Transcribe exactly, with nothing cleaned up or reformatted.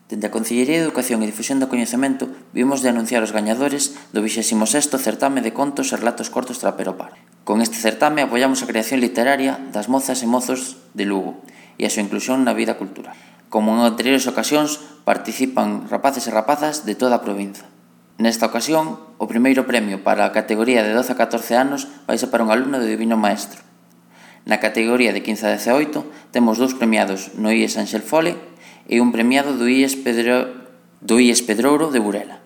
Dende a Concellería de Educación e Difusión do Coñecemento vimos de anunciar os gañadores do vixésimo sexto certame de contos e relatos cortos Traperopar. Con este certame apoiamos a creación literaria das mozas e mozos de Lugo e a súa inclusión na vida cultural. Como en anteriores ocasións, participan rapaces e rapazas de toda a provincia. Nesta ocasión, o primeiro premio para a categoría de doce a catorce anos vai ser para un alumno do Divino Maestro. Na categoría de quince a dezaoito temos dous premiados no I E S Anxel Fole e un premiado do I E S Pedro... do I E S Pedrouro de Burela.